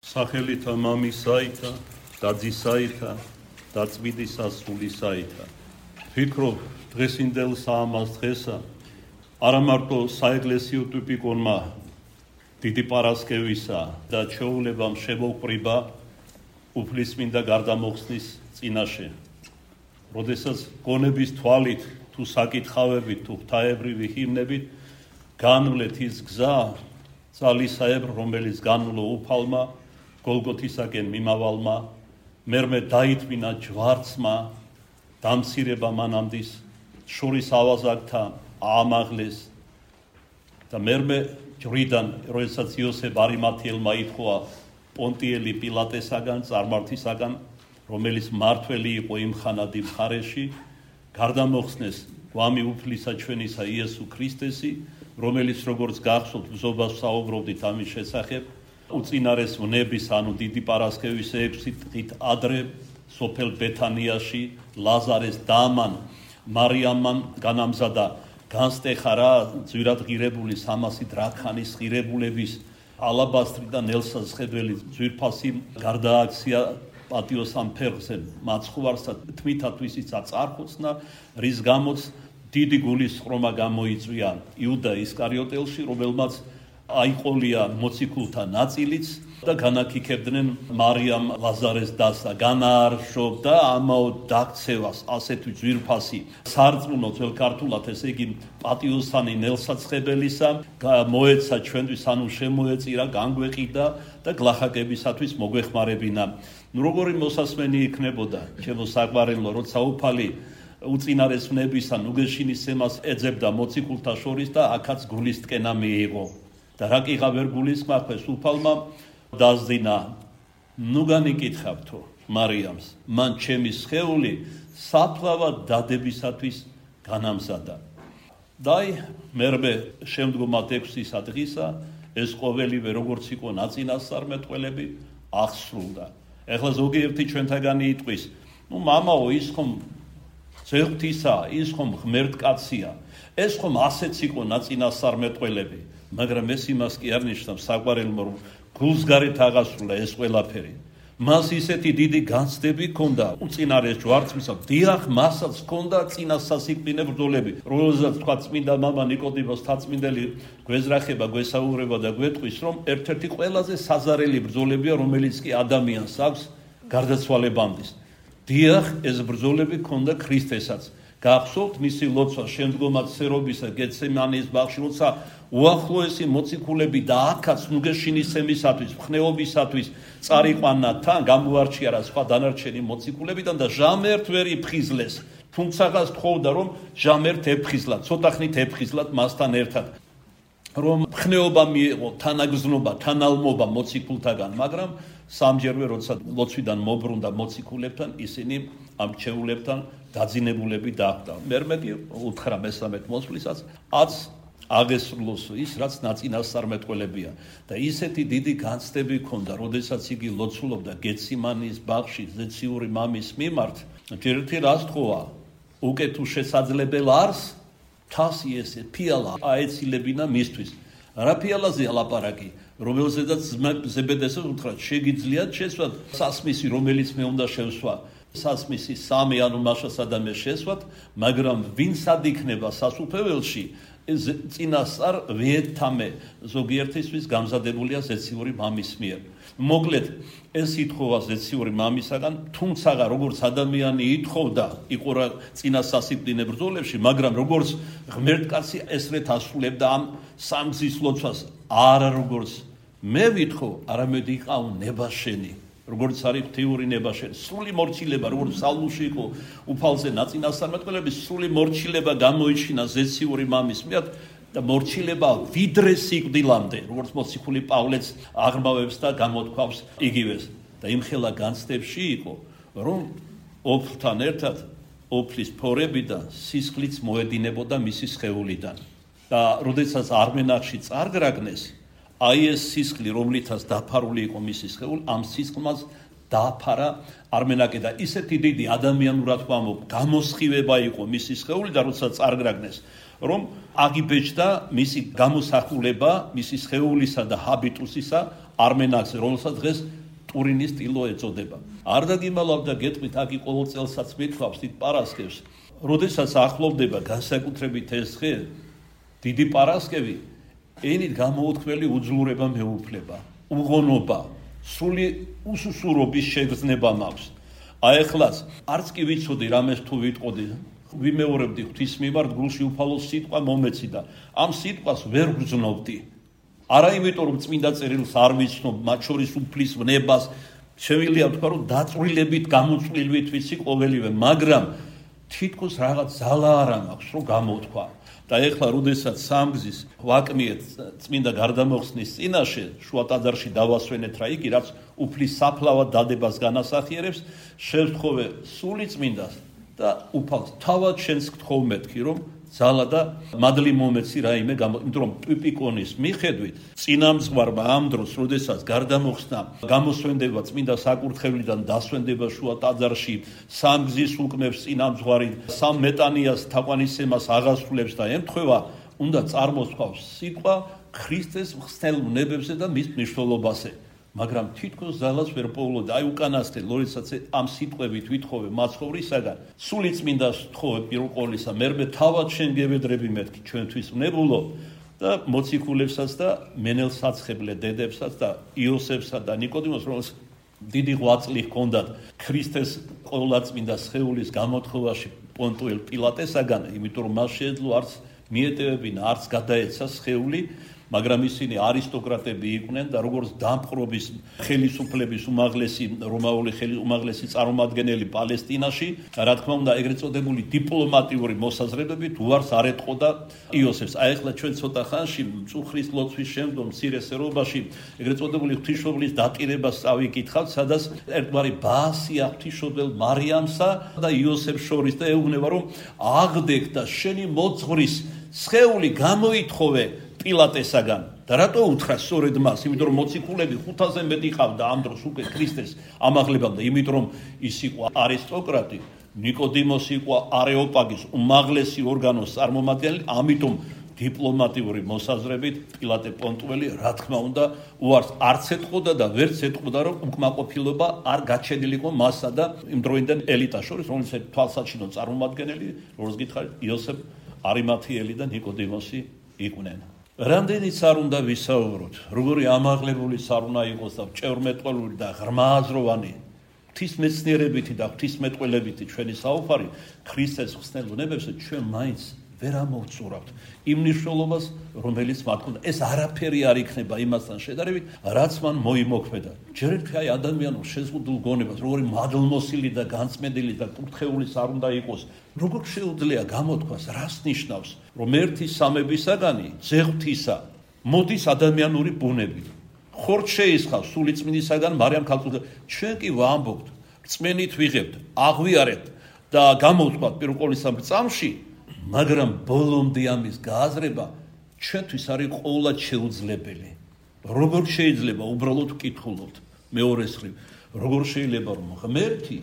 სახელითა მამისაითა და ძისაითა და წმინდისა სულისაითა. ვფიქრობ დღესინდელ საამას დღესა არა მარტო საეკლესიო ტიპიკონმა დიდი პარასკევისა და ჩვეულებამ შემოუყრიბა უფლისწმინდა გარდამოხსნის წინაშე. როდესაც გონების თვალით თუ საკითხავებით თუ ღვთაებრივი ჰიმნებით განვლეთ ის გზა ძალისაებრ, რომელიც განვლო უფალმა გოლგოთისაკენ მიმავალმა, მერმე დაითმინა ჯვარცმა, დამცირება მანამდის შორის ავაზაკთა აამაღლეს და მერმე ჯვრიდან, როდესაც იოსებ არიმათიელმა ითხოვა პონტიელი პილატესაგან, წარმართისაგან, რომელიც მართველი იყო იმ ხანად იმ მხარეში, გარდამოხსნეს გვამი უფლისა ჩვენისა იესო ქრისტესი, რომელიც როგორც გახსოვთ ბრძობას საუბრობდით ამის შესახებ, უწინარეს ვნების, ანუ დიდი პარასკევის 6 დღით ადრე სოფელ ბეთანიაში ლაზარეს დამან მარიამან განამზადა განსტეხა რა ძვირად ღირებული 300 დრაქანის ღირებულების ალაბასტრი და ნელსას ხედველი ძვირფასი გარდააქცია პატიოსან ფერხზე მაცხვარსა თვითათვისიც აწარხოცნა, რის გამოც დიდი გულისწყრომა გამოიწვია იუდა ისკარიოტელში, რომელმაც აიყოლია მოციქულთა ნაწილიც და განაკიქებდნენ მარიამ ლაზარეს დასა, განაარშობდა ამაოდ დაქცევას ასეთი ძვირფასი სარწმუნო ძველ ქართულად, ესე იგი პატიოსანი ნელსაცხებელისა, მოეცა ჩვენთვის, ანუ შემოეწირა, განგვეყიდა და გლახაკებისათვის მოგვეხმარებინა. როგორი მოსასმენი იქნებოდა ჩემო საყვარელო, როცა უფალი უწინარეს ვნებისა ნუგეშინისცემას ეძებდა მოციქულთა შორის და აქაც გულისტკენა მიიღო. და რა კი ღა ვერ გულისხმარეს უფალმა დაზდინა, ნუ განიკითხავთო მარიამს, მან ჩემი სხეული საფლავად დადებისათვის განამზადა. და მერმე შემდგომად 6 დღისა ეს ყოველივე როგორც იყო ნაწინასწარმეტყველები აღსრულდა. ეხლა ზოგიერთი ჩვენთაგანი იტყვის, ნუ მამაო, ის ხომ ზეღვთისა, ის ხომ ღმერთკაცია, ეს ხომ ასეც იყო ნაწინასწარმეტყველები, მაგრამ ეს იმას კი არ ნიშნავს საყვარელო, რომ გულსგარეთ აღასრულა ეს ყველაფერი. მას ისეთი დიდი განცდები ჰქონდა უწინარეს ჯვარცმისა, დიახ, მასაც ჰქონდა წინა სასიკვდინე ბრძოლები, რომელზეც თქვა წმინდა მამა ნიკოდიმოს თაწმინდელი გვეზრახება, გვესაუბრება და გვეტყვის, რომ ერთ-ერთი ყველაზე საზარელი ბრძოლებია, რომელიც კი ადამიანს აქვს გარდაცვალებამდis. დიახ, ეს ბრძოლები ჰქონდა ქრისტესაც. გახსოვთ მისი ლოცვა შემდგომად სერობისა გეცემანის ბაღში, როცა უახლოესი მოციქულები და აქაც ნუგეშინისცემისათვის, მხნეობისათვის წარიყვანა თან, გამოარჩიარა სხვა დანარჩენი მოციქულებიდან და ჟამერთ ვერ იფხიზლეს. თუმცა თხოვდა, რომ ჟამერთ ეფხიზლა, ცოტა ხნით ეფხიზლათ მასთან ერთად, რომ მხნეობა მიეღო, თანაგზნობა, თანალმობა მოციქულთაგან, მაგრამ სამჯერვე როცა ლოცვიდან მობრუნდა მოციქულებთან, ისინი ამ ჩვეულებთან დაძინებულები დახვდა. მერმე კი უთხრა მესამედ მოსვლისას, აც აღესრულოს ის, რაც ნაწინასწარმეტყველებია და ისეთი დიდი განცდები ჰქონდა, როდესაც იგი ლოცულობდა გეციმანის ბაღში ზეციური მამის მიმართ, ერთი რას თხოვა, უკეთ შესაძლებელ არს თასი ესე ფიალა აეცილებინა მისთვის. რა ფიალაზე ალაპარაკი, რომელზედაც ზებედესს უთხრა, შეგიძლიათ შესვათ სასმისი, რომელიც მე უნდა შევსვა, სასმისი 3, ანუ მაშასადამე შესვათ, მაგრამ ვინსად იქნება სასუფეველში, წინასწარ ვიეთამე ზოგიერთისთვის გამზადებულია ზეციური მამის მიერ. მოკლედ, ეს ითხოვა ზეციური მამისაგან, თუმცა როგორც ადამიანი ითხოვდა, იყო რა წინა სასიკვდინე ბრძოლებში, მაგრამ როგორც ღმერთკაცი ესრეთ ასრულებდა ამ სამგზის ლოცვას, არა როგორც მე ვითხოვ, არამედ იყავ ნებაშენი. როგორც არის ღვთიური ნებაშენი, სრული მორჩილება, როგორც სალმუში იყო უფალზე ნაწინასწარმეტყველების, სრული მორჩილება გამოიჩინა ზეციური მამის მიერ და მორჩილება ვიდრე სიკვდილამდე, როგორც მოციქული პავლეც აღრმავებს და გამოთქვავს იგივეს. და იმხელა განცდებში იყო, რომ ოფლთან ერთად ოფლის ფორებიდან სისხლიც მოედინებოდა მისი სხეულიდან. და როდესაც არმენახში წარგრაგნეს, აი ეს სისხლი, რომლითაც დაფარული იყო მისი სხეული, ამ სისხლმაც დააფარა არმენაკე და ისეთი დიდი ადამიანურად ვამბობ, გამოსხივება იყო მისი სხეული და როცა წარგრაგნეს, რომ აგიბეჭდა მისი გამოსახულება, მისი სხეულისა და ჰაბიტუსისა არმენაკზე, რომელსაც დღეს ტურინის ტილო ეწოდება. არ დაგიმალავდა გეტყვით, აქ ყოველ წელსაც მithვავს დიდ პარასკევს. როდესაც ახლოვდება განსაკუთრებით ეს დღე, დიდი პარასკევი, ენით გამოუთქმელი უძლურება მეუფლება, უღონობა, სრული უსუსურობის შეგრძნება მაქვს. აი ახლაც არც კი ვიცოდი რამეს თუ ვიტყოდი, ვიმეორებდი ღვთის მიმართ გულში უფალო სიტყვა მომეციდა. ამ სიტყვას ვერ ვგრძნობდი. არა იმიტომ რომ წმინდა წერილს არ ვიცნობ, მათ შორის უფლის ვნებას, შემიძლია ვთქვა რომ დაწვრილებით გამოწვლილვით ვიცი ყოველივე, მაგრამ თითქოს რაღაც ძალა არ მაქვს რომ გამოვთქვა. და ეხლა როდესაც სამგზის ვაკმიეთ წმინდა გარდამოხსნის წინაშე შუა ტაძარში დავასვენეთ რა იგი რაც უფლის საფლავად დადებას განასახიერებს, შევთხოვე სული წმინდას და უფალს თავად შენს გთხოვ მეთქი რომ ძალა და მადლი მომეცი რაიმე იმიტომ რომ ტვიპიკონის მიხედვით წინამძღვარმა ამ დროს როდესაც გარდამოხსნა გამოსვენდება წმინდა საკურთხევლიდან დასვენდება შუა ტაძარში სამგზის უკმებს წინამძღვარი სამ მეტანიას თაყვანისცემას აღასრულებს და ემთხვევა უნდა წარმოსთქვას სიტყვა ქრისტეს მხსნელ უნებებზე და მის მნიშვნელობაზე. მაგრამ თითქოს ძალას ვერ პოულობდა. აი უკანასკნელ როდესაც ამ სიტყვებით ვითხოვე მაცხოვრისაგან, სული წმინდას ვთხოვე პირველ ყოვლისა, მერმე თავად შენ გევედრები მეთქი ჩვენთვის ვნებულო და მოციქულებსაც და მენელსაცხებლე დედებსაც და იოსებსა და ნიკოდიმოს, რომელსაც დიდი ღვაწლი ჰქონდათ ქრისტეს ყოვლადწმინდა სხეულის გამოთხოვაში პონტუელ პილატესაგან, იმიტომ რომ მას შეეძლო არც მიეტევებინა, არც გადაეცა სხეული, მაგრამ ისინი არისტოკრატები იყვნენ და როგორც დამპყრობის ხელისუფლების უმაღლესი რომაული უმაღლესი წარმომადგენელი პალესტინაში, რა თქმა უნდა, ეგრეთ წოდებული დიპლომატიური მოსაზრებებით უარს არ ეტყოდა იოსებს. აი ახლა ჩვენ ცოტა ხანში მწუხრის ლოცვის შემდგომ მცირე სერობაში ეგრეთ წოდებული ღვთისმშობლის დატირებას წავიკითხავთ, სადაც ერთგვარი ბაასია ღვთისმშობელ მარიამსა და იოსებს შორის და ეუბნება რომ აღდექ და შენი მოძღვრის სხეული გამოითხოვე პილატესაგან და რატო უთხრა სწორედ მას? იმიტომ რომ მოციქულები 500-ზე მეტი ყავდა ამ დროს უკვე ქრისტეს ამაღლებამდე, იმიტომ რომ ის იყო არისტოკრატი, ნიკოდიმოსი იყო არეოპაგის უმაღლესი ორგანოს წარმომადგენელი, ამიტომ დიპლომატიური მოსაზრებით პილატე პონტუელი რა თქმა უნდა უარს არც ეტყოდა და ვერც ეტყოდა რომ უკმაყოფილება არ გაჩენილიყო მასსა და იმ დროინდელ ელიტას შორის, რომელსაც თვალსაჩინო წარმომადგენელი, როგორც გითხარით, იოსებ არიმათიელი და ნიკოდიმოსი იყვნენ. რამდენიც არ უნდა ვისაუბროთ, როგორი ამაღლებულის არ უნდა იყოს და ჭევრმეტყველური და ღრმააზროვანი ღვთისმეცნიერებითი და ღვთისმეტყველებითი ჩვენი საუბარი ქრისტეს მხსნელ უნებებზე ჩვენ მაინც ვერ ამოვწურავთ იმ მნიშვნელობას, რომელიც მათ ჰქონდა. ეს არაფერი არ იქნება იმასთან შედარებით, რაც მან მოიმოქმედა. ჯერ ერთი აი ადამიანურ შეზღუდულ გონებას, როგორი მადლმოსილი და განწმენდილი და კურთხეულის არ უნდა იყოს, როგორ შეუძლია გამოთქვას, რას ნიშნავს, რომ ერთი სამებისაგანი ძეღვთისა მოდის ადამიანური ბუნებით. ხორც შეისხავს სულიწმინდისაგან მარიამ ქალწულთან. ჩვენ კი ვამბობთ, რწმენით ვიღებთ, აღვიარებთ და გამოვთქვათ პირველ ყოვლისა წამში, მაგრამ ბოლომდე ამის გააზრება ჩვენთვის არის ყოვლად შეუძლებელი. როგორ შეიძლება უბრალოდ ვკითხულობთ მეორეს მხრივ, როგორ შეიძლება რომ ღმერთი,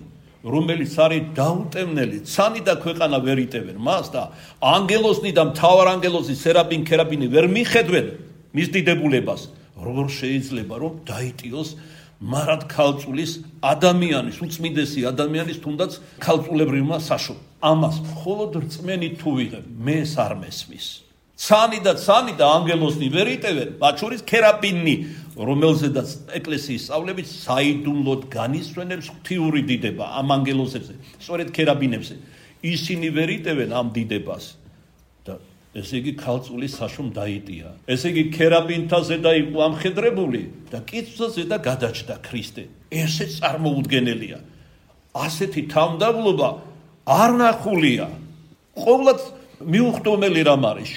რომელიც არის დაუტევნელი, ცანი და ქვეყანა ვერ იტევენ მას და ანგელოზნი და მთავარანგელოზი სერაპინ ქერაპინი ვერ მიხედვენ მის დიდებულებას, როგორ შეიძლება რომ დაიტიოს მარად ქალწულის ადამიანის, უწმინდესი ადამიანის თუნდაც ქალწულებრივმა საშობ. ამას მხოლოდ რწმენით თუ ვიღებ, მეს არ მესმის. ცანი და ანგელოზნი ვერ იტევენ, მათ შორის ქერაპინი, რომელზედაც ეკლესიის სწავლებით საიდუმლოდ განისვენებს ღვთიური დიდება ამ ანგელოზებზე, სწორედ ქერაპინებზე. ისინი ვერ იტევენ ამ დიდებას და ესე იგი ქალწულის საშომ დაიტია. ესე იგი ქერაპინთა ზედა იყო ამხედრებული და კიცვზე ზედა გადაჭდა ქრისტე. ესეც წარმოუდგენელია. ასეთი თავმდაბლობა არ ნახულია. ყოვლად მიუხდომელი რამ არის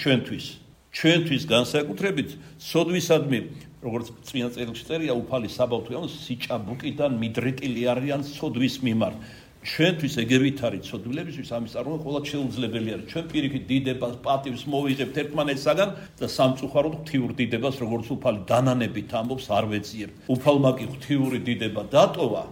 ჩვენთვის განსაკუთრებით სოდვისადმი, როგორც წმინდა წერილში წერია, უფალი საბავშვო სიჭაბუკიდან მიდრეკილი არიან სოდვის მიმართ. ჩვენთვის ეგევით არის ცოდვილებისთვის ამის წარმოება ყოველად შეუძლებელი არის. ჩვენ პირიქით დიდებას, პატივს მოვიღებთ ერთმანეთსაგან და სამწუხაროდ ღვთიურ დიდებას, როგორც უფალი დანანებით ამბობს, არ ვეძიებთ. უფალმა კი ღვთიური დიდება დატოვა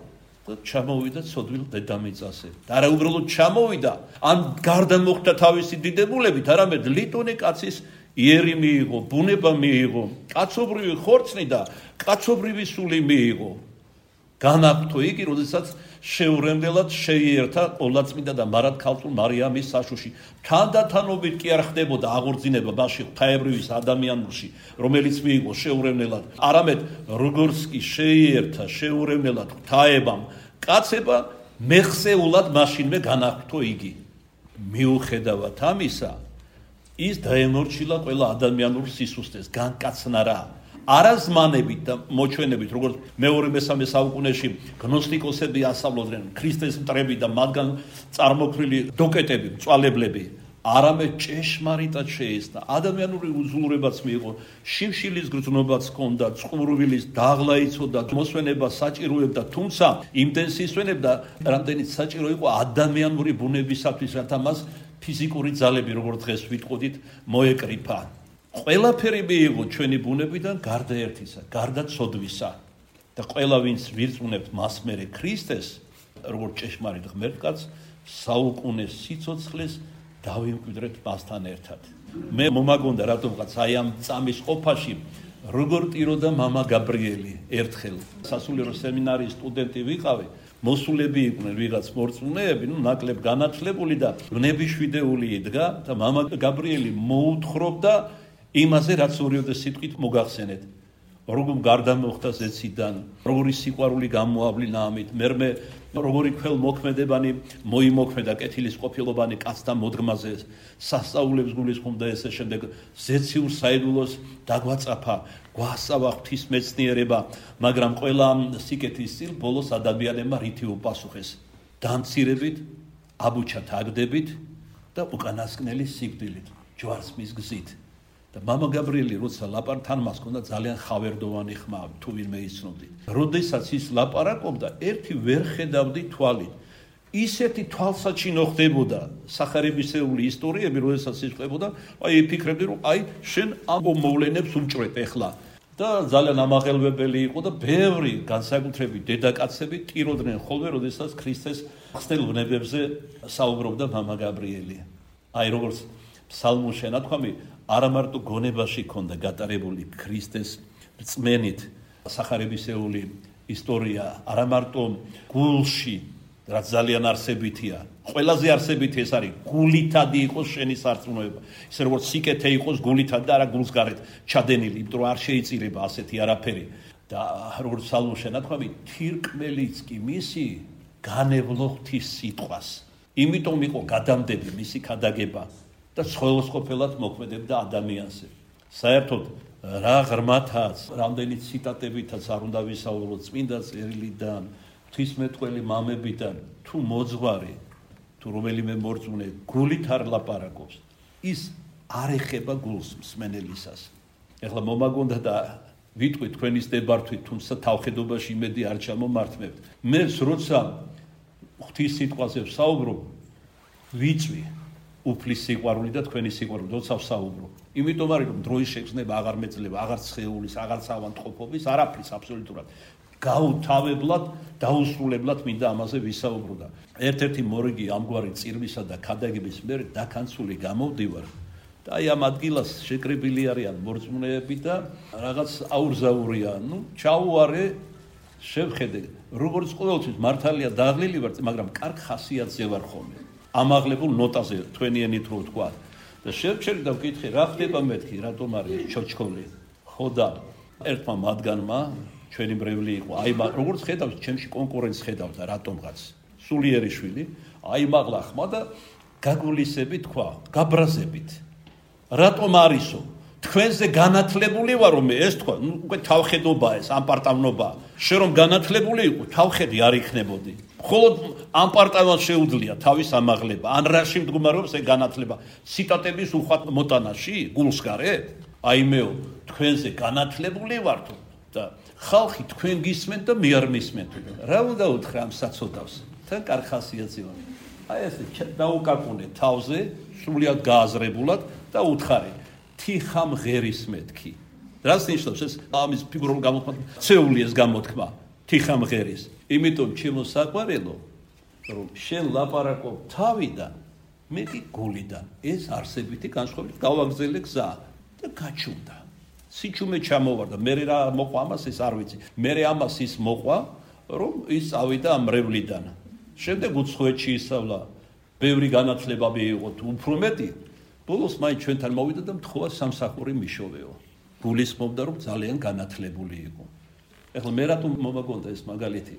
და ჩამოვიდა ცოდვილ დედამიწაზე. და არა უბრალოდ ჩამოვიდა, ან გარდა მოხდა თავისი დიდებულებით, არამედ ლიტონე კაცის იერი მიიღო, ბუნება მიიღო, კაცობრივი ხორცნი და კაცობრივი სული მიიღო. განაგთო იგი, როდესაც შეურემდელად შეიერთა ყოლაწმინდა და მარადქალწულ მარიამის საშუში. თანდათანობით კი არ ხდებოდა აღორძინება მასში ღვთაებრივის ადამიანურში, რომელიც მიიღო შეურემდელად, არამედ როგორც კი შეიერთა შეურემდელად ღვთაებამ კაცება, მეხსეულად მაშინვე განაგთო იგი. მიუხედავად ამისა, ის დაემორჩილა ყველა ადამიანურ სისუსტეს, განკაცნა რა. არაზმანებით და მოჩვენებით, როგორც მეორე-მესამე საუკუნეში გნოსტიკოსები ასწავლოდნენ ქრისტეს მტრები და მათგან წარმოქმნილი დოკეტები, მწვალებლები, არამედ ჭეშმარიტად შეესწა. ადამიანური უზრუნველობაც მიიღო, შიმშილის გრძნობაც ჰქონდა, წყურვილის დაღლა იცოდა, მოსვენება საჭიროებდა, თუმცა იმდენ სისვენებდა, რამდენიც საჭირო იყო ადამიანური ბუნებისათვის, რათა მას ფიზიკური ძალები, როგორც დღეს ვიტყოდით, მოეკრიფა. ყველაფერი მიიღო ჩვენი ბუნებიდან გარდა ერთისა, გარდა ცოდვისა. და ყველა ვინც ვირწმუნებთ მას მერე ქრისტეს, როგორც ჭეშმარიტ ღმერთკაცს, საუკუნეს სიცოცხლეს დავიმკვიდრეთ მასთან ერთად. მე მომაგონდა რატომღაც აი ამ წამის ყოფაში როგორ ტიროდა მამა გაბრიელი ერთხელ სასულიერო სემინარიის სტუდენტი ვიყავი, მოსულები იყვნენ ვიღაც მორწმუნეები, ნაკლებ განათლებული და ვნებიშვიდეული იდგა და მამა გაბრიელი მოუთხრობდა იმაზე, რაც ორიოდე სიტყვით მოგახსენეთ. როგორ გარდა მოხდა ზეციდან, როგორი სიყვარული გამოავლინა ამით, მერმე როგორი ქველმოქმედებანი მოიმოქმედა კეთილის ყოფილობანი კაცთა მოდგმაზე, სასწაულებს გულისხმობდა ესე შემდეგ ზეციურ საიდუმლოს დაგვაწაფა, გვასწავა ღვთის მეცნიერება, მაგრამ ყველა სიკეთის წილ ბოლოს ადამიანებმა რითი უპასუხეს? დამცირებით, აბუჩათ აგდებით და უკანასკნელი სიკვდილით, ჯვარცმის გზით. და მამა გაბრიელი როცა ლაპარაკთან მას ჰქონდა ძალიან ხავერდოვანი ხმა, თუ ვინმე იცნობდით. როდესაც ის ლაპარაკობდა, ერთი ვერ ხედავდი თვალით. ისეთი თვალსაჩინო ხდებოდა სახარებისეული ისტორიები, როდესაც ის ხდებოდა, აი ფიქრებდი, რომ აი შენ ამ მოვლენებს უჭრეთ ეხლა. და ძალიან ამაღელვებელი იყო და ბევრი განსაკუთრებით დედაკაცები ტიროდნენ ხოლმე, როდესაც ქრისტეს ხსნელ ვნებებზე საუბრობდა მამა გაბრიელი. აი როგორც ფსალმურში ნათქვამი, არა მარტო გონებაში ქონდა გატარებული ქრისტეს რწმენით სახარებისეული ისტორია, არა მარტო გულში, რაც ძალიან არსებითია, ყველაზე არსებითი ეს არის, გულითადი იყოს შენი სარწმუნოება. ისე როგორც სიკეთე იყოს გულითად და არა გულს გარეთ ჩადენილი, იმიტომ რომ არ შეიწირება ასეთი არაფერი. და როგორც ფსალმურში ნათქვამი, თირკმელიც კი მისი განევლო ღვთის სიტყვას. იმიტომ იყო გადამდები მისი ქადაგება. და სხვადასხვაფერად მოქმედებდა ადამიანზე. საერთოდ რა ღრმათაც, რამდენი ციტატებითაც არ უნდა ვისაუბროთ წმინდა წერილიდან, ღვთისმეტყველი მამებიდან, თუ მოძღვარი, თუ რომელიმე მორწმუნე გულით არ ლაპარაკობს, ის არ ეხება გულს მსმენელისას. ეხლა მომაგონდა და ვიტყვი თქვენის დებართვით, თუმცა თავხედობაში იმედი არ ჩამომართმევთ. მეც როცა ღვთის სიტყვაზე ვსაუბრობ, ვიწვი უფლის სიყვარული და თქვენი სიყვარული, როცა ვსაუბრობ. იმიტომ არის, რომ დროის შეგრძნება აღარ მეძლება, აღარ ცხეულის, აღარ ავანტყოფობის, არაფრის აბსოლუტურად. გაუთავებლად, დაუსრულებლად მინდა ამაზე ვისაუბრო და ერთ-ერთი მორიგი ამგვარი წირვისა და ქადაგების მერე დაქანცული გამოვდივარ. და აი ამ ადგილას შეკრებილი არიან მორწმუნეები და რაღაც აურზაურია. ჩაუარე, შევხედე, როგორც ყოველთვის მართალია დაღლილი ვარ, მაგრამ კარგ ხასიათზე ვარ ხოლმე. ამაღლებულ ნოტაზე თქვენიენით რო თქვა და შევჩერი და ვკითხე რა ხდება მეთქი რატომ არის ჩოჩქოლი ხო და ერთმა მათგანმა ჩვენი მრევლი იყო აი როგორც ხედავს ჩემში კონკურენტს ხედავდა რატომღაც სულიერი შვილი აი მაღლა ხმა და გაგულისები თქვა გაბრაზებით რატომ არისო თქვენზე განათლებული ვარ რომ ეს თქვა უკვე თავხედობა ეს ამპარტავნობა შენ რომ განათლებული იყო თავხედი არ იქნებოდი მხოლოდ ამპარტავანს შეუძლია თავის ამაღლება ან რაში მდგომარეობს ეს განათლება ციტატების უხვად მოტანაში გულს გარეთ აი მეო თქვენზე განათლებული ვარ და ხალხი თქვენ გისმენთ და მე არ მისმენთ რა უნდა უთხრა ამ საწოდავს თან კარგ ხასიათზე ვარ აი ესე დაუკაკუნე თავზე სრულიად გააზრებულად და უთხარი თიხამ ღერის მეთქი რას ნიშნავს ეს ამის ფიგურულ გამოთქმა ცეული ეს გამოთქმა თიხამ ღერის იმიტომ ჩემო საყვარელო რომ შენ ლაპარაკობ თავიდან მე კი გულიდან ეს არსებითი განსხვავებით გავაგზელე გზა და გაჩუმდა. სიჩუმე ჩამოვარდა. მე რა მოყვა ამას ეს არ ვიცი. მე ამას ის მოყვა, რომ ის წავიდა ამ მრევლიდან. შემდეგ უცხოეთში ისწავლა. ბევრი განათლება მიიღო, უფრო მეტი. ბოლოს მაინც ჩვენთან მოვიდა და მთხოვა სამსახური მიშოვეო. გულისხმობდა რომ ძალიან განათლებული იყო. ეხლა მე რატომ მომაგონდა ეს მაგალითი?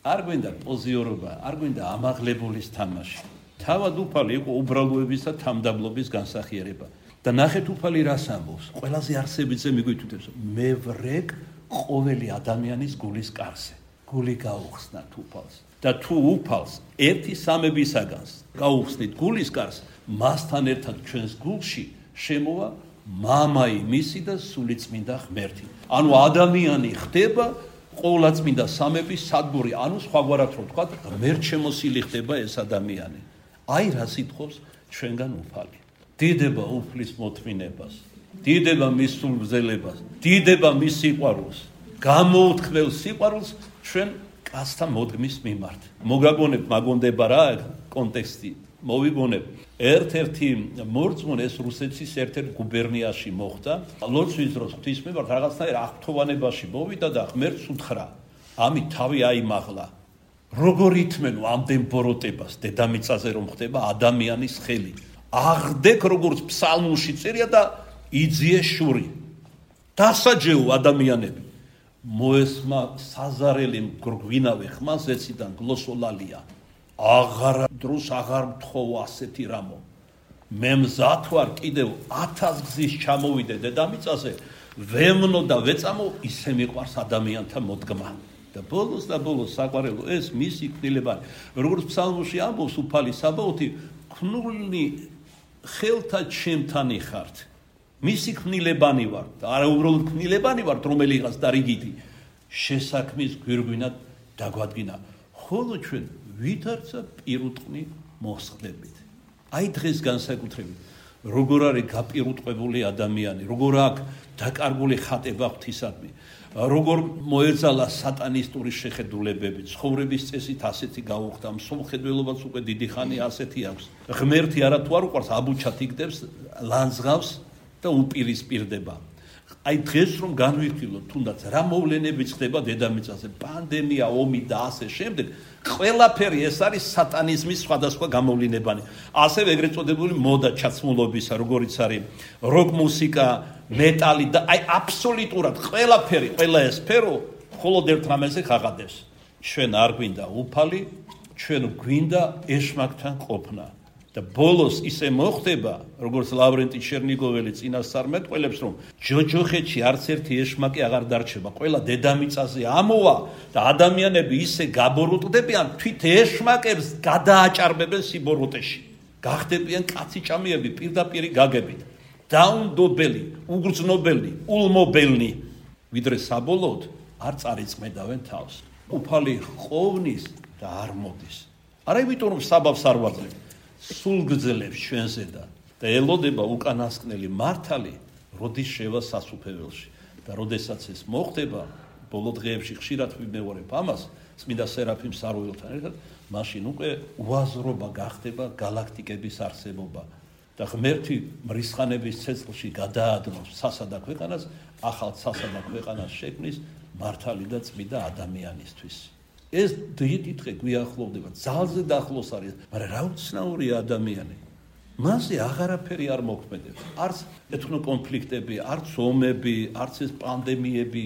არ გვინდა პოზიორობა, არ გვინდა ამაღლებულის თამაში. თავად უფალი იყო უბრალოების და თამდაბლობის განსახიერება. და ნახეთ უფალი რას ამბობს? ყველაზე არსებითზე მიგვითითებს. მე ვრეკ ყოველი ადამიანის გულის კარზე. გული გაუხსნათ უფალს. და თუ უფალს ერთი სამებისაგანს გაუხსნით გულის კარს, მასთან ერთად ჩვენს გულში შემოვა მამაი მისი და სულიწმინდა ღმერთი. ანუ ადამიანი ხდება ყოვლადწმინდა სამების სადგური, ანუ სხვაგვარად რო ვთქვათ, ღმერთშემოსილი ხდება ეს ადამიანი. აი რა სიტყვობს ჩვენგან უფალი. დიდება უფლის მოთმინებას, დიდება მის სულგრძელებას, დიდება მის სიყვარულს, გამოუთქმელ სიყვარულს ჩვენ კაცთა მოდგმის მიმართ. მოგაგონებ მაგონდება რა კონტექსტი, მოვიგონებ. ერთ-ერთი მორწმუნე ეს რუსეთის ერთ-ერთ გუბერნიაში მოხდა. ლოცვის დროს ღვთის მიმართ რაღაცნაირ აღფრთოვანებაში მოვიდა და ღმერთს უთხრა: ამით თავი აიმაღლა. როგორ ითმენო ამდენ ბოროტებას დედამიწაზე რომ ხდება ადამიანის ხელი. აღდეკ როგორც ფსალმულში წერია და იძიე შური. დასაჯეო ადამიანები. მოესმა საზარელი მგრგვინავე ხმას ეციდან გლოსოლალია. აღარ დროს აღარ მთხოვ ასეთი რამო. მე მზად ვარ კიდევ 1000 გზის ჩამოვიდე დედამიწაზე, ვემნო და ვეწამო ისე მიყვარს ადამიანთა მოდგმა. და ბოლოს საყვარელო ეს მისი კნილებანი. როგორც ფსალმში ამბობს უფალი საბაოთი, ქნული ხელთა ჩემთან იხართ. მისი კნილებანი ვარ და არა უბრალოდ კნილებანი ვარ, რომელიღაც და რიგითი შესაქმის გვირგვინად დაგვადგინა. ხოლო ჩვენ ვითარცა პირუტყვი მოსხდებით. აი დღეს განსაკუთრებით როგორ არის გაპირუტყვებული ადამიანი, როგორ აქვს დაკარგული ხატება ღვთისადმი, როგორ მოეძალა სატანისტური შეხედულებები, ცხოვრების წესით ასეთი გაუხდა, მსოფლმხედველობაც უკვე დიდი ხანი ასეთი აქვს. ღმერთი არა თუ არ უყვარს, აბუჩად იგდებს, ლანძღავს და უპირისპირდება. აი დღეს რომ განვიხილოთ, თუნდაც რა მოვლენებიც ხდება დედამიწაზე, პანდემია, ომი და ასე შემდეგ, ყველაფერი ეს არის სატანიზმის სხვადასხვა გამოვლინებანი. ასევე ეგრეთ წოდებული მოდა ჩაცმულობისა, როგორიც არის როკ მუსიკა, მეტალი და აი აბსოლუტურად ყველაფერი, ყველა ეს სფერო მხოლოდ ერთ რამეზე ხაღადებს. ჩვენ არ გვინდა უფალი, ჩვენ გვინდა ეშმაკთან ყოფნა. და ბოლოს ისე მოხდება, როგორც ლავრენტი ჩერნიგოველი წინასწარ მეტყველებს, რომ ჯოჯოხეთში არც ერთი ეშმაკი აღარ დარჩება. ყველა დედამიწაზე ამოვა და ადამიანები ისე გაბოროტდებიან, თვით ეშმაკებს გადააჭარბებენ სიბოროტეში. გახდებიან კაციჭამიები პირდაპირი გაგებით. დაუნდობელი, უგრძნობელი, ულმობელნი, ვიდრე საბოლოოდ არ წარიწმედავენ თავს. უფალი ხოვნის და არ მოდის. არა იმიტომ რომ საბავს არ ვაძლევ, სულ გძლებს ჩვენზე და ელოდება უკანასკნელი მართალი, როდის შევა სასუფეველში. და როდესაც ეს მოხდება, ბოლო დღეებში ხშირად ვიმეორებ ამას, წმინდა სერაფიმ საროველთან ერთად, მაშინ უკვე უაზრობა გახდება გალაქტიკების არსებობა. და ღმერთი მრისხანების ცეცხლში გადაადნობს სასა და ქვეყანას, ახალ სასა და ქვეყანას შექმნის მართალი და წმინდა ადამიანისთვის. ეს დიდი დღე გვიახლოვდება, ძალზე დაახლოს არის, მაგრამ რა უცნაურია ადამიანი. მასზე აღარაფერი არ მოქმედებს. არც ეთნო კონფლიქტები, არც ომები, არც ეს პანდემიები,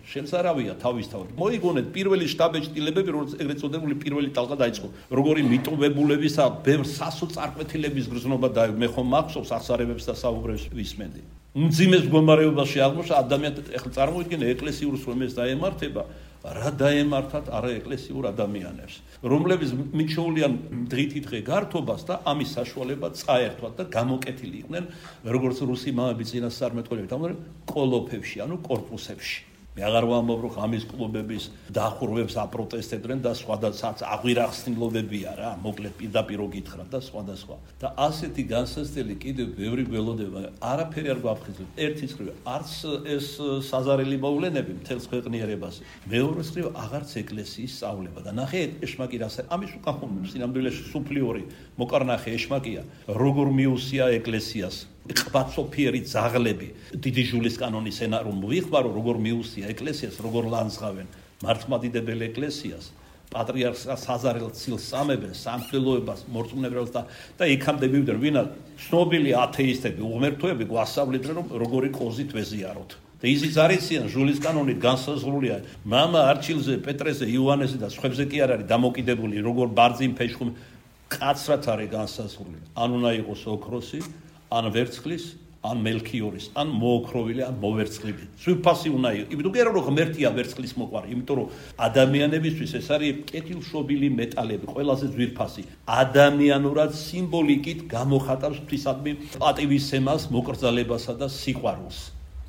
შენს არავია თავისთავად. მოიგონეთ პირველი შტაბ-ეჭდილებები, როგორც ეგრეთ წოდებული პირველი ტალღა დაიწყო. როგორი მიტოვებულებისა, ბევრ სასოწარკვეთილების გრძნობა და მე ხომ მახსოვს აღსარებებს და საუბრებს ვისმენდი. უმძიმეს მდგომარეობაში აღმოჩნდა ადამიანთა, ეხლა წარმოვიდგინე ეკლესიურს რომ ეს დაემართება, რა დაემართათ არა ეკლესიურ ადამიანებს, რომლებიც მიჩვეულიან დღითი დღე გართობას და ამის საშუალება წაერთვათ და გამოკეთილი იყვნენ, როგორც რუსი მამები წინასწარ მეტყველებით ამბობენ, კოლოფებში, ანუ კორპუსებში. მე აღარ ვამბობ, რომ ამის კლუბების დახურვებს აპროტესტებდნენ და სხვადასხვა აღვირახსნილობებია რა, მოკლედ პირდაპირ გითხრა და სხვადასხვა. და ასეთი განსაცდელი კიდევ ბევრი გველოდება, არაფერი არ გვაფრთხილებს. ერთი მხრივ არც ეს საზარელი მოვლენები მთელს ქვეყნიერებაზე. მეორე მხრივ აღარც ეკლესიის სწავლება და ნახე ეშმაკი რასა, ამის უკახუნებს სინამდვილეში სუფლიორი მოკარნახე ეშმაკია, როგორ მიუსია ეკლესიას. ყბაცოფიერი ძაღლები დიდი ჟულის კანონის ენა რომ ვიხმარო როგორ მიუსია ეკლესიას როგორ ლანძღავენ მართლმადიდებელ ეკლესიას პატრიარქს საზარელ ცილს სამებენ სამღვდელოებას მორწმუნეებს და იქამდე მივიდნენ ვინა ცნობილი ათეისტები უღმერთოები გვასწავლიდნენ რომ როგორი კოზით ვეზიაროთ და ისიც არიციან ჟულის კანონით განსაზღვრულია მამა არჩილზე პეტრეზე იოანეზე და სხვებზე კი არ არის დამოკიდებული როგორ ბარძიმ ფეშხუმ კაცრად არის განსაზღვრული ან უნდა იყოს ოქროსი ან ვერცხლის ან მელქიორის ან მოოქროვილი ან მოვერცხლილი ძვირფასი უნდა იყოს იმიტომ რომ ღმერთია ვერცხლის მოყვარი იმიტომ რომ ადამიანებისთვის ეს არის კეთილშობილი მეტალები ყველაზე ძვირფასი ადამიანურად სიმბოლიკით გამოხატავს ღვთისადმი პატივისცემას მოკრძალებასა და სიყვარულს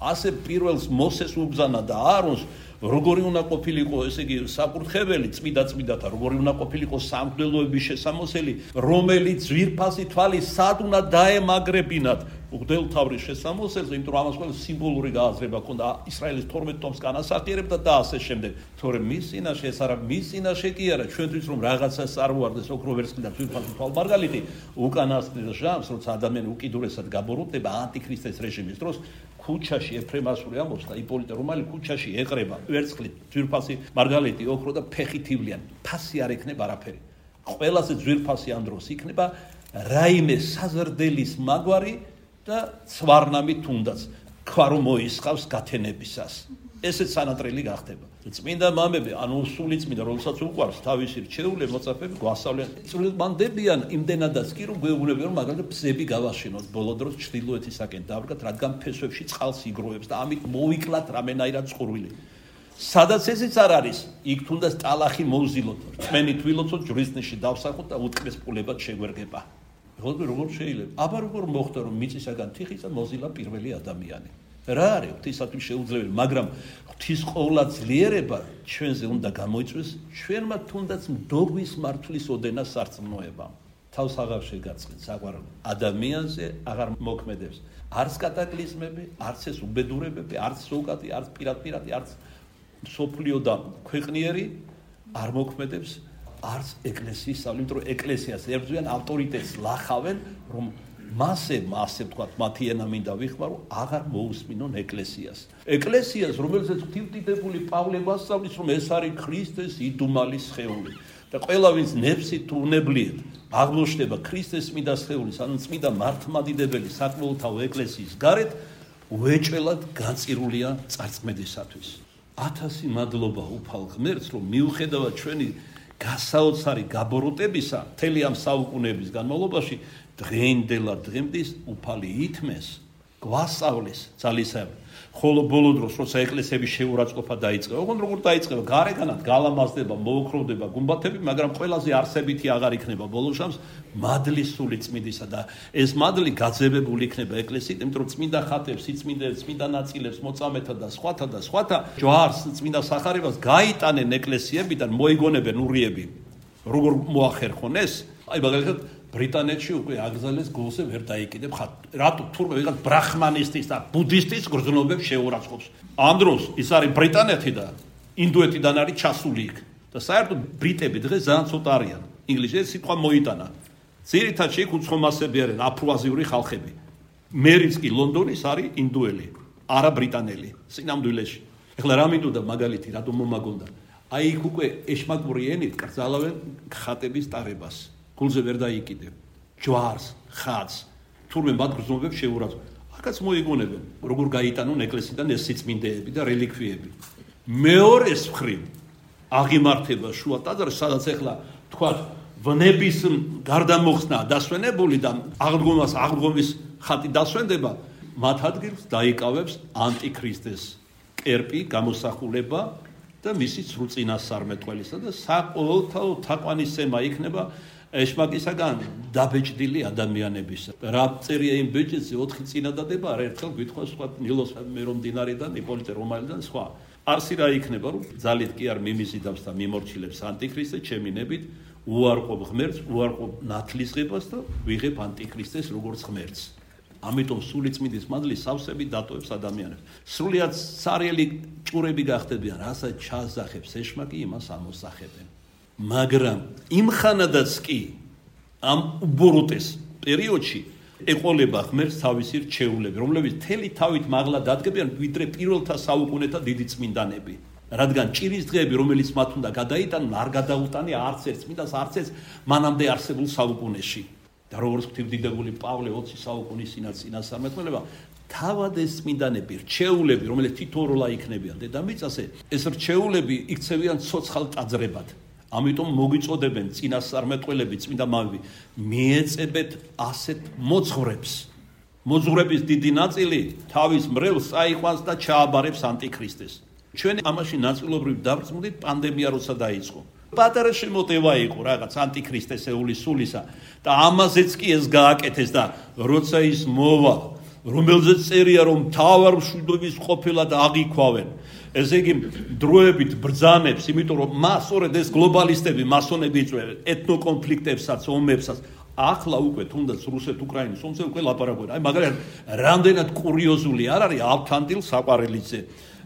ასე პირველს მოსეს უბრძანა და აარონს როგორი უნდა ყოფილიყო ესე იგი საკურთხეველი წმიდათა როგორი უნდა ყოფილიყო სამღვდელოების შესამოსელი რომელიც ძვირფასი თვალი სად უნდა დაემაგრებინათ უღდელთავრის შესამოსელს იმიტომ რომ ამას ყველა სიმბოლური გააზრება ჰქონდა ისრაელის 12 ტომს განასახიერებდა და ასე შემდეგ თორემ მის წინაშე ეს არა მის წინაშე კი არა ჩვენთვის რომ რაღაცას წარმოარდეს ოქრო ვერცხლი და ძვირფასი თვალმარგალიტი უკანასკნელ ჟამს როცა ადამიანი უკიდურესად გაბოროტდება ანტიქრისტეს რეჟიმის დროს ქუჩაში ეფრემასური ამბობს და იპოლიტე რომალი ქუჩაში ეყრება ვერცხლი ძვირფასი მარგალიტი ოქრო და ფეხითივლიან ფასი არ ექნება არაფერი ყველაზე ძვირფასი ამ დროს იქნება რაიმე საზრდელის მაგვარი და ცვარნამი თუნდაც ქვა რომ მოისხავს გათენებისას ესეც სანატრელი გახდება წმინდა მამები ანუ სული წმინდა რომელსაც უყვარს თავისი რჩეული მოწაფეები გვასწავლიან წვრილმანდებიან იმდენადაც კი რომ გვეუბნებიან რომ მაგალითად ბზები გავაშენოთ ბოლო დროს ჩრდილოეთისაკენ დავდგათ რადგან ფესვებში წყალს იგროვებს და ამით მოვიკლათ რამენაირად წყურვილი სადაც ესეც არ არის იქ თუნდაც ტალახი მოვზილოთ რწმენით ვილოცოთ ჯვრისნიში დავსახოთ და უტკბეს პულებად შეგვერგება როგორ შეიძლება აბა როგორ მოხდა რომ მიწისაგან თიხისა მოზილა პირველი ადამიანი რა არის ღვთისათვის შეუძლებელი მაგრამ ღვთის ყოვლადძლიერება ჩვენზე უნდა გამოიწვიოს ჩვენმა თუნდაც მდოგვის მართლის ოდენა სარწმუნოება თავს აღარ შეგაწყეთ საყვარელ ადამიანზე აღარ მოქმედებს არც კატაკლიზმები არც ეს უბედურებები არც ზოგადი არც პირადპირადი არც სოფლიო და ქვეყნიერი არ მოქმედებს არც ეკლესიის სწავლი, იმიტომ რომ ეკლესიას ებრძვიან ავტორიტეტს ლახავენ, რომ მასე თქვათ, მათი ენა მინდა ვიხმარო, აღარ მოусმინონ ეკლესიას. ეკლესიას, რომელზეც ღვთივდიდებული პავლე გვასწავლის, რომ ეს არის ქრისტეს იდუმალი სხეული და ყველა ვინც ნებსით თუ უნებლიეთ აღმოჩნდება ქრისტეს წმინდა სხეულის, ანუ წმინდა მართლმადიდებელი საკმაოთავო ეკლესიის გარეთ, უეჭველად განწირულია წარწმედისათვის. 1000 მადლობა უფალ ღმერთს, რომ მიუხედავად ჩვენი გასაოცარი გაბოროტებისა მთელი ამ საუკუნეების განმავლობაში დღეინდელად დღემდის უფალი ითმეს გვასწავლის ძალისხმევ ხოლო ბოლო დროს როცა ეკლესიების შეურაცხყოფა დაიწყება ოღონდ როგორ დაიწყება გარეგანად გალამაზდება მოოქროვდება გუმბათები მაგრამ ყველაზე არსებითი აღარ იქნება ბოლო შამს მადლის სული წმინდისა და ეს მადლი გაძევებული იქნება ეკლესიით იმიტომ რომ წმინდა ხატებს სიწმინდეებს წმინდა ნაწილებს მოწამეთა და სხვათა ჯვარს წმინდა სახარებას გაიტანენ ეკლესიებიდან მოიგონებენ ურიები როგორ მოახერხონ ეს აი მაგალითად ბრიტანეთში უკვე აგზალეს გულზე ვერ დაიკიდებ ხატ. რატო თურმე ვიღაც ბრაჰმანისტის და ბუდისტის გრძნობებს შეურაცხყოფს. ამ დროს ის არის ბრიტანეთი და ინდოეთიდან არის ჩასული იქ. და საერთოდ ბრიტები დღეს ძალიან ცოტა არიან. ინგლისში სიტყვა მოიტანა. ძირითადად იქ უცხომასები არიან აფროაზიური ხალხები. მერიც კი ლონდონის არის ინდოელი, არა ბრიტანელი. სინამდვილეში. ეხლა რა მინდოდა მაგალითი რატომ მომაგონდა? აი იქ უკვე ეშმაკური ენით კრძალავენ ხატების ტარებას. გულზე ვერ დაიკიდებ ჯვარს ხატს თურმე მათ გრძნობებს შეურაცხყოფ აქაც მოიგონებენ როგორ გაიტანონ ეკლესიიდან ეს სიწმინდეები და რელიკვიები მეორეს მხრივ აღიმართება შუა ტაძარში სადაც ახლა თქვა ვნების გარდამოხსნა დასვენებული და აღდგომის ხატი დასვენდება მათ ადგილს დაიკავებს ანტიქრისტეს კერპი გამოსახულება და მისი სრულწინასწარმეტყველისა და საყოველთაო თაყვანისცემა იქნება ეშმაკისაგან დაბეჭდილი ადამიანების. რა წერია იმ ბეჭედზე 4 წინადადება არ ერთხელ გვითხრა სხვა ნილოს მერომდინარიდან, იპოლიტე რომალიდან სხვა. არსი რა იქნება რომ ძალით კი არ მიმიზიდავს და მიმორჩილებს ანტიქრისტე ჩემინებით, უარყოფ ღმერთს, უარყოფ ნათლისღებას და ვიღებ ანტიქრისტეს როგორც ღმერთს. ამიტომ სული წმინდის მადლი სავსები დატოვებს ადამიანებს. სრულიად სარიელი ჭურები გახდებიან, რასაც ჩაასახებს ეშმაკი, იმას ამოსახებენ. მაგრამ იმ ხანადაც კი ამ უბოროტეს პერიოდში ეყოლება ღმერთს თავისი რჩეულები, რომლებიც მთელი თავით მაღლა დადგებიან ვიდრე პირველთა საუკუნეთა დიდი წმინდანები. რადგან ჭირის დღეები, რომელიც მათ უნდა გადაიტანონ, არ გადაუტანე არც ერთ წმინდანს, არც ერთ მანამდე არსებულ საუკუნეში. და როგორც ღვთისმდიდრებული პავლე 20 საუკუნის წინასწარმეტყველება, თავად ეს წმინდანები, რჩეულები, რომელიც თითოეულა იქნებიან დედამიწაზე, ეს რჩეულები იქცევიან ცოცხალ ტაძრებად. ამიტომ მოგიწოდებენ წინასწარმეტყველები, წმინდა მამები, მიეწებეთ ასეთ მოძღვრებს. მოძღვრების დიდი ნაწილი თავის მრევლს წაიყვანს და ჩააბარებს ანტიქრისტეს. ჩვენ ამაში ნაწილობრივ დავწმუნდით პანდემია როცა დაიწყო. პატარა შემოტევა იყო რაღაც ანტიქრისტესეული სულისა და ამაზეც კი ეს გააკეთეს და როცა ის მოვა, რომელზეც წერია რომ მთავარ მშვიდობის ყოფილად აღიქვავენ. ესე იგი დროებით ბრძანებს, იმიტომ რომ მას სწორედ ეს გლობალისტები, მასონები იწვევენ ეთნოკონფლიქტებსაც, ომებსაც. ახლა უკვე თუნდაც რუსეთ-უკრაინის ომზე უკვე ლაპარაკობენ. აი მაგალითად, რამდენად კურიოზული არ არის ალფანდილ საყვარელიძე.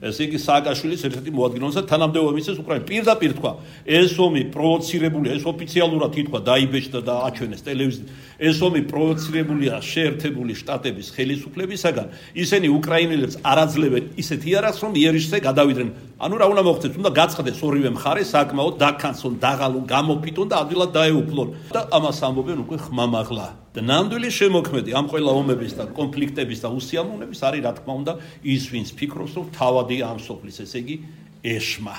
ესე იგი სააკაშვილის ერთ-ერთი მოადგილეობა თანამდებობა მისცეს უკრაინას. პირდაპირ თქვა, ეს ომი პროვოცირებულია, ეს ოფიციალურად ითქვა, დაიბეჭდა და აჩვენეს ტელევიზიით. ეს ომი პროვოცირებულია შეერთებული შტატების ხელისუფლებისაგან. ისინი უკრაინელებს არ აძლევენ ისეთ იარაღს, რომ იერიშზე გადავიდნენ. ანუ რა უნდა მოხდეს? უნდა გაწყდეს ორივე მხარე საკმაოდ დაქანცონ, დაღალონ, გამოფიტონ და ადვილად დაეუფლონ. და ამას ამბობენ უკვე ხმამაღლა. და ნამდვილი შემოქმედი ამ ყველა ომების და კონფლიქტების და უსიამოვნების არის რა თქმა უნდა ის, ვინც ფიქრობს, რომ თავადი ამ სოფლის, ესე იგი ეშმა,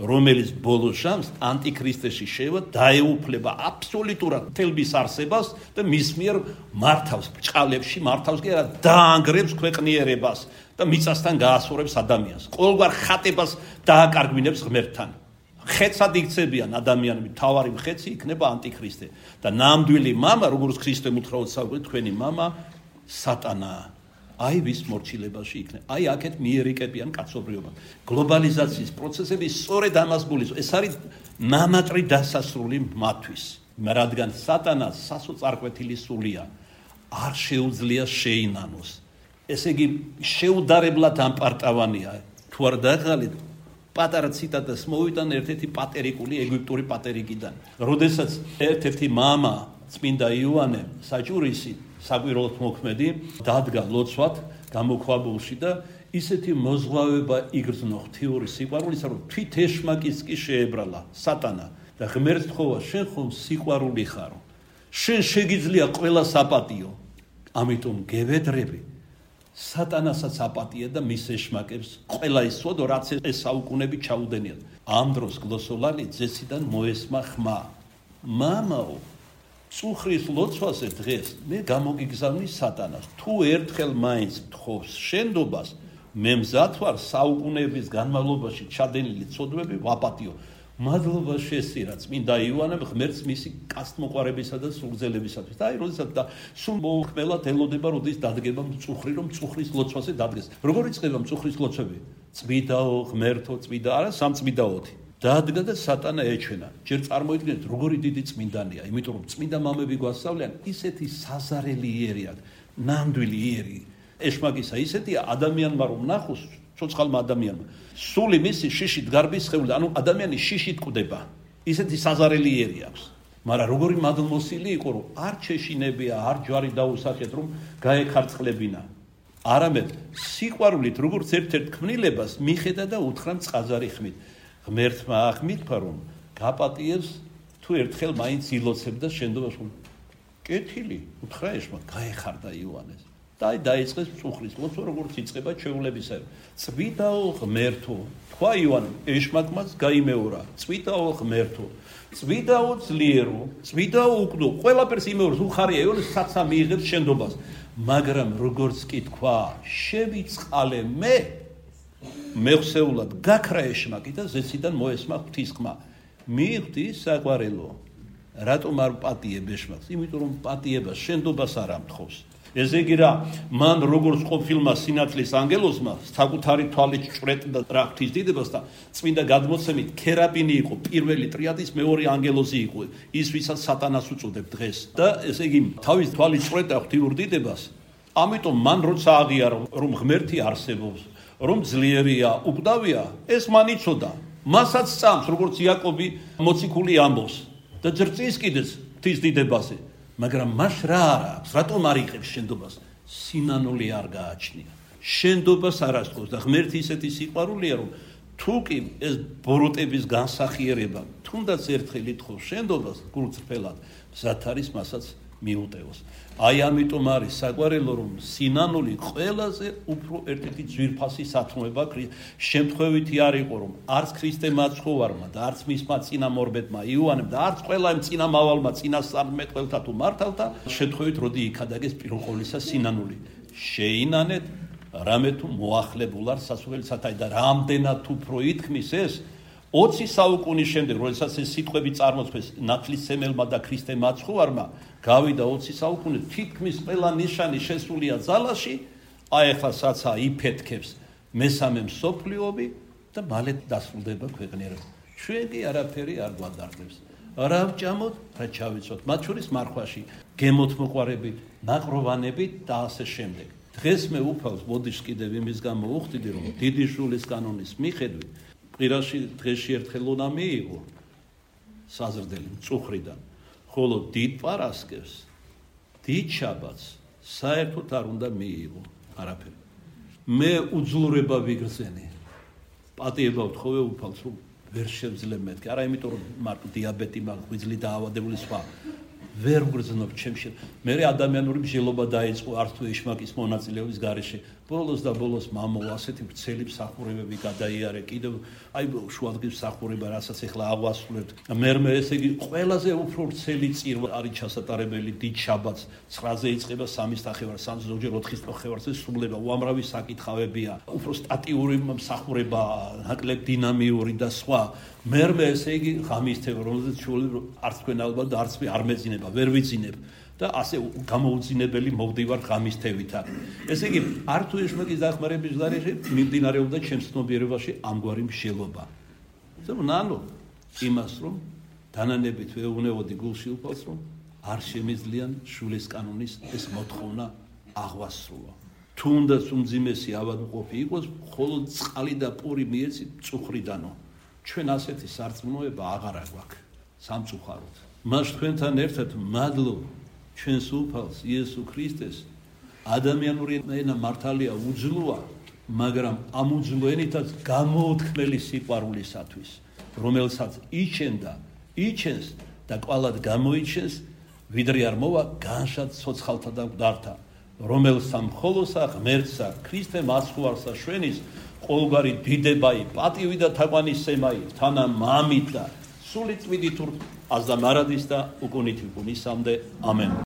რომელიც ბოლოს ჟამს ანტიქრისტეში შევა, დაეუფლება აბსოლუტურად თელბის არსებას და მის მიერ მართავს ბრჭყალებში, მართავს კი არა, დაანგრევს ქვეყნიერებას და მიწასთან გაასწორებს ადამიანს. ყოველგვარ ხატებას დააკარგვინებს ღმერთთან. ხეცად იქცებიან ადამიანები, თავარი ხეცი იქნება ანტიქრისტე და ნამდვილი მამა, როგორც ქრისტე უთხრაოდ საუბრობთ, თქვენი მამა სატანაა. აი ვის მორჩილებაში იქნება. აი აქეთ მიერიკებიან კაცობრიობა. გლობალიზაციის პროცესები სწორედ ამას გულისხმობს. ეს არის მამატრი დასასრული მათთვის. რადგან სატანას სასოწარკვეთილი სულია არ შეუძლია შეინანოს. ესე იგი შეუდარებლად ამპარტავანია. თუ არ დაღალით პატარა ციტატას მოვიტან ერთ-ერთი პატერიკული ეგვიპტური პატერიკიდან. როდესაც ერთ-ერთი მამა წმინდა იოანე საჭურისი საკვირველთ მოქმედი დადგა ლოცვად გამოქვაბულში და ისეთი მოზღვავება იგრძნო ღვთიური სიყვარულისა, რომ თვით ეშმაკის კი შეებრალა სატანა და ღმერთს თხოვა, შენ ხომ სიყვარული ხარო, შენ შეგიძლია ყველა საპატიო, ამიტომ გევედრები სატანასაც აპატია და მის ეშმაკებს ყველა ის სოდო, რაც ეს საუკუნები ჩაუდენიათ. ამ დროს გლოსოლალი ძესიდან მოესმა ხმა, მამაო, წუხრის ლოცვაზე დღეს მე გამოგიგზავნი სატანას. თუ ერთხელ მაინც თხოვს შენდობას, მე მზად ვარ საუკუნეების განმავლობაში ჩადენილი ცოდვები ვაპატიო. მადლობა შესწირა წმინდა იოანემ ღმერთს მისი კაცთმოყვარებისა და სულგძელებისათვის. და აი როდესაც და სულ მოუხმელად ელოდება, როდის დადგება მწუხრი, რომ წუხრის ლოცვაზე დადგეს. როგორ იწყება მწუხრის ლოცვები? წმიდაო, ღმერთო, წმიდა არა, სამწმიდაოთი. დადგა და სატანა ეჩვენა. ჯერ წარმოიდგინეთ, როგორი დიდი წმინდანია, იმიტომ რომ წმინდა მამები გვასწავლიან, ისეთი საზარელი იერი აქვს, ნამდვილი იერი. ეშმაკისა ისეთია ადამიანმა რომ ნახოს, ცოცხალმა ადამიანმა, სული მისი შიშით გარბის სხეული, ანუ ადამიანი შიშით კვდება. ისეთი საზარელი იერი აქვს. მაგრამ როგორი მადლმოსილი იყო, რომ არ ჩეშინებია, არ ჯვარი დაუსახეთ, რომ გაეკარწყლებინა. არამედ სიყვარულით, როგორც ერთ-ერთ ქმნილებას მიხედა და უთხრა წყაზარი ხმით. ღმერთმა ახმითქვა, რომ გაპატიებს თუ ერთხელ მაინც ილოცებდა შენდობას. კეთილი, უთხრა ეშმა, გაეხარდა იოანეს. და დაიწყეს წუხრის ლოცვა, როგორც იწყება ჩვეულებისაო. წვიდაო ღმერთო, თქვა იოანემ, ეშმაკმაც გაიმეორა. წვიდაო ღმერთო, წვიდაო ძლიერო, წვიდაო უკდო, ყველაფერს იმეორს, უხარია იონეს საცა მიიღებს შენდობას. მაგრამ როგორც კი თქვა, შევიწყალე მე ხსეულად გაქრა ეშმაკი და ზეციდან მოესმა ღვთის ხმა. მიიღდი საყვარელო, რატომ არ პატიებ ეშმაკს? იმიტომ რომ პატიება შენდობას არ ამთხოვს. ესე იგი რა, მან როგორც ყოფილმა სინათლის ანგელოზმა საკუთარი თვალით ჭვრეტდა რა ღვთის დიდებას და წმინდა გადმოცემით ქერაბინი იყო პირველი ტრიადის მეორე ანგელოზი იყო, ის ვისაც სატანას უწოდებ დღეს. და ესე იგი თავის თვალით ჭვრეტდა ღვთიურ დიდებას. ამიტომ მან როცა აღიარა რომ ღმერთი არსებობს, რომ ძლიერია, უკდავია, ეს მან იცოდა. მასაც წამს, როგორც იაკობი მოციქული ამბობს და ძრწის კიდეც ღვთის დიდებაზე. მაგრამ მას რა არა აქვს, რატომ არ იღებს შენდობას? სინანული არ გააჩნია. შენდობას არ ასწავს და ღმერთი ისეთი სიყვარულია, რომ თუ კი ეს ბოროტების განსახიერება თუნდაც ერთხელ ითხოვს შენდობას გულწრფელად, მზად არის მასაც მიუტევოს. აი ამიტომ არის საყვარელო, რომ სინანული ყველაზე უფრო ერთ-ერთი ძვირფასი სათნოება შემთხვევითი არ იყო, რომ არც ქრისტე მაცხოვარმა და არც მისმა წინამორბედმა იოანემ და არც ყველა იმ წინამავალმა წინასწარმეტყველთა თუ მართალთა შემთხვევით როდი იქადაგეს პირველ ყოვლისა სინანული. შეინანეთ რამე თუ მოახლებულ არ სასურველსათა და რამდენად უფრო ითქმის ეს 20 საუკუნის შემდეგ, როდესაც ეს სიტყვები წარმოთქვეს ნათლისმცემელმა და ქრისტე მაცხოვარმა, გავიდა 20 საუკუნე, თითქმის ყველა ნიშანი შესულია ძალაში, აი ახლა საცა იფეთქებს მესამე მსოფლიობი და მალე დასრულდება ქვეყნიერება. ჩვენ კი არაფერი არ გვადარდებს. რა ვჭამოთ, რა ჩავიცოთ, მათ შორის მარხვაში, გემოთ მოყვარებით, ნაკროვანებით და ასე შემდეგ. დღეს მე უფალს ბოდიშს კიდევ იმის გამო უხდიდი, რომ დიდი შულის კანონის მიხედვით ყვირაში დღეში ერთხელ უნდა მიიღო საზრდელი მწუხრიდან, ხოლო დიდ პარასკევს, დიდ შაბათს საერთოდ არ უნდა მიიღო არაფერი. მე უძლურება ვიგრძენი. პატიება ვთხოვე უფალს, რომ ვერ შევძლებ მეთქი. არა იმიტომ, რომ მარტო დიაბეტი მაქვს, ღვიძლი დაავადებული სხვა. ვერ ვგრძნობ ჩემში. მე ადამიანური მსჯელობა დაიწყო არც თუ ეშმაკის მონაწილეობის გარეშე. ბოლოს და ბოლოს მამო ასეთი ვრცელი მსახურებები გადაიარე, კიდევ აი შუადღის მსახურება, რასაც ახლა აღვასრულებთ. მე ესე იგი ყველაზე უფრო ვრცელი წირვა არის ჩასატარებელი დიდ შაბათს 9-ზე იწყება 3-ის ნახევარს, ზოგჯერ 4-ის ნახევარზე სრულდება. უამრავი საკითხავებია. უფრო სტატიური მსახურება, ნაკლებ დინამიური და სხვა. მე ესე იგი ღამისთება, რომელზეც შუალი არც თქვენ ალბათ და არც მე არ მეძინება, ვერ ვიძინებ. და ასე გამოუძინებელი მოვდივარ ღამისთევითა. ესე იგი, არ თუ ეშმაკის დახმარების გარეშე მიმდინარეობდა ჩემს ცნობიერებაში ამგვარი მსჯელობა. ნანო იმას, რომ დანანებით ვეუბნებოდი გულში უფალს, რომ არ შემიძლიან შულის კანონის ეს მოთხოვნა აღვასრულო. თუნდაც უმძიმესი ავადმყოფი იყოს, მხოლოდ წყალი და პური მიეცით მწუხრიდანო. ჩვენ ასეთი სარწმუნოება აღარ გვაქვს სამწუხაროდ. მას თქვენთან ერთად მადლობ ჩვენს უფალს იესო ქრისტეს. ადამიანური ენა მართალია უძლოა, მაგრამ ამ უძლო ენითაც გამოუთქმელი სიყვარულისათვის, რომელსაც იჩენდა, იჩენს და კვალად გამოიჩენს, ვიდრე არ მოვა განშად ცოცხალთა და მკვდართა, რომელსა მხოლოსა ღმერთსა ქრისტე მაცხოვარსა შვენის ყოველგვარი დიდებაი, პატივი და თაყვანისცემაი თანა მამით და სული წვიდით აზდა მარადის და უკუნით უკუნისამდე ამენ.